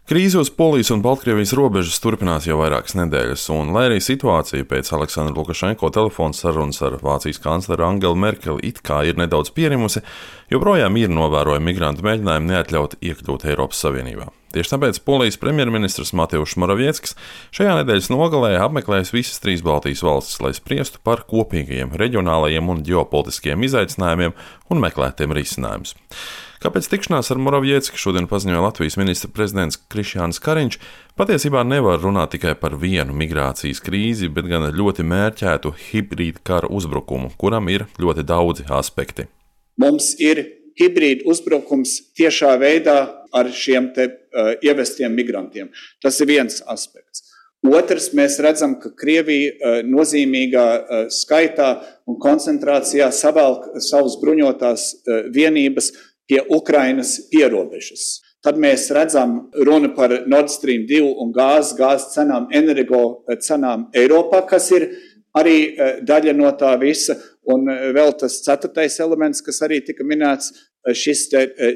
Krīze uz Polijas un Baltkrievijas robežas turpinās jau vairākas nedēļas, un lai arī situācija pēc Aleksandra Lukašenko telefona sarunas ar Vācijas kancleru Angelu Merkeli it kā ir nedaudz pierimusi, joprojām ir novērojami migrantu mēģinājumi neatļaut iekļūt Eiropas Savienībā. Tieši tāpēc Polijas premjerministrs Mateušs Moravieckis šajā nedēļas nogalē apmeklējis visas trīs Baltijas valstis, lai spriestu par kopīgajiem reģionālajiem un ģeopolitiskiem izaicinājumiem un meklētiem risinājumus. Kāpēc tikšanās ar Moraviecki šodien paziņoja Latvijas ministra prezidents Krišjānis Kariņš, patiesībā nevar runāt tikai par vienu migrācijas krīzi, bet gan ļoti mērķētu hibrīda kara uzbrukumu, kuram ir ļoti daudzi aspekti. Mums ir hibrīda uzbrukums tiešā veidā ar šiem ievestiem migrantiem. Tas ir viens aspekts. Otrs, mēs redzam, ka Krievija nozīmīgā skaitā un koncentrācijā savelk savus bruņotās vienības pie Ukrainas pierobežas. Tad mēs redzam runu par Nord Stream 2 un gāzes cenām, energo cenām Eiropā, kas ir arī daļa no tā visa. Un vēl tas ceturtais elements, kas arī tika minēts, šis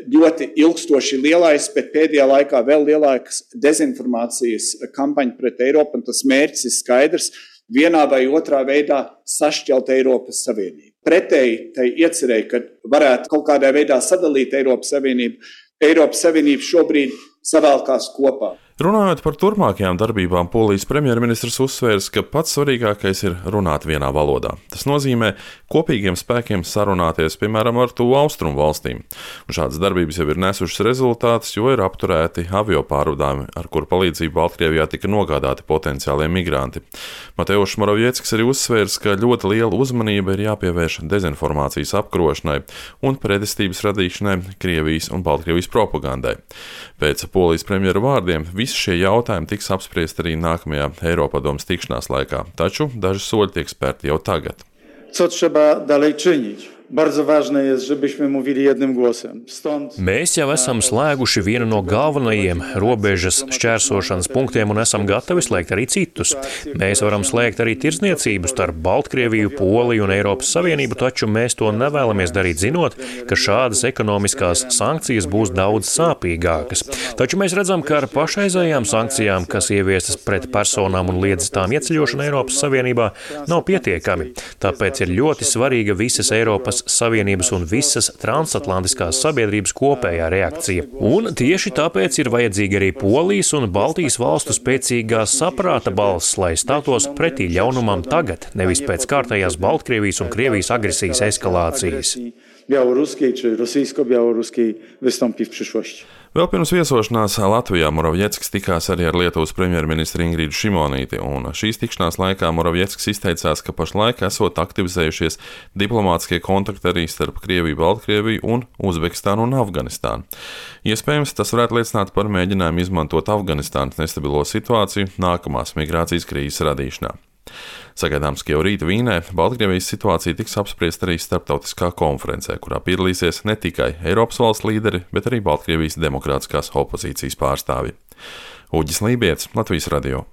ļoti ilgstoši lielais, bet pēdējā laikā vēl lielāks dezinformācijas kampaņa pret Eiropu, un tas mērķis ir skaidrs, vienā vai otrā veidā sašķelt Eiropas Savienību. Pretēji tai iecerēja, ka varētu kaut kādā veidā sadalīt Eiropas Savienību. Eiropas Savienība šobrīd savēlkās kopā. Runājot par turpmākajām darbībām, Polijas premjerministrs uzsvērs, ka pats svarīgākais ir runāt vienā valodā. Tas nozīmē kopīgiem spēkiem sarunāties, piemēram, ar tuvu austrumu valstīm. Un šādas darbības jau ir nesušas rezultātus, jo ir apturēti avio pārvadājumi, ar kuru palīdzību Baltkrievijā tika nogādāti potenciālie migranti. Mateušs Moravieckis arī uzsvērs, ka ļoti liela uzmanība ir jāpievērš dezinformācijas apkarošanai un pretestības radīšanai Krievijas un Baltkrievijas propagandai. Pēc Polijas premjera vārdiem visi šie jautājumi tiks apspriesti arī nākamajā Eiropadomes tikšanās laikā, taču daži soļi tiek spērti jau tagad. Co trzeba dalej czynić? Bardzo ważne jest, żebyśmy mówili jednym głosem. Mēs jau esam slēguši vienu no galvenajiem robežas šķērsošanas punktiem un esam gatavi slēgt arī citus. Mēs varam slēgt arī tirdzniecību starp Baltkrieviju, Poliju un Eiropas Savienību, taču mēs to nevēlamies darīt zinot, ka šādas ekonomiskās sankcijas būs daudz sāpīgākas. Taču mēs redzam, ka ar pašreizējām sankcijām, kas ieviestas pret personām un liedzas tām ieceļošana Eiropas Savienībā, nav pietiekami. Tāpēc ir ļoti svarīga visas Eiropas Savienības un visas transatlantiskās sabiedrības kopējā reakcija. Un tieši tāpēc ir vajadzīga arī Polijas un Baltijas valstu spēcīgā saprāta balss, lai stātos pretī ļaunumam tagad, nevis pēc kārtējās Baltkrievijas un Krievijas agresijas eskalācijas. Białoruskiej czy rosyjsko-białoruskiej wystąpi w przyszłości. Vēl pirms viesošanās Latvijā Moravieckis tikās arī ar Lietuvas premjerministru Ingridu Šimonīti, un šīs tikšanās laikā Moravieckis izteicās, ka pašlaik esot aktivizējušies diplomātiskie kontakti arī starp Krieviju, Baltkrieviju un Uzbekistānu un Afganistānu. Iespējams, tas varētu liecināt par mēģinājumu izmantot Afganistānas nestabilo situāciju nākamās migrācijas krīzes radīšanā. Sagaidāms, ka jau rīt Vīnē Baltkrievijas situācija tiks apspriesta arī starptautiskā konferencē, kurā piedalīsies ne tikai Eiropas valsts līderi, bet arī Baltkrievijas demokrātiskās opozīcijas pārstāvji. Uģis Lībietis, Latvijas radio.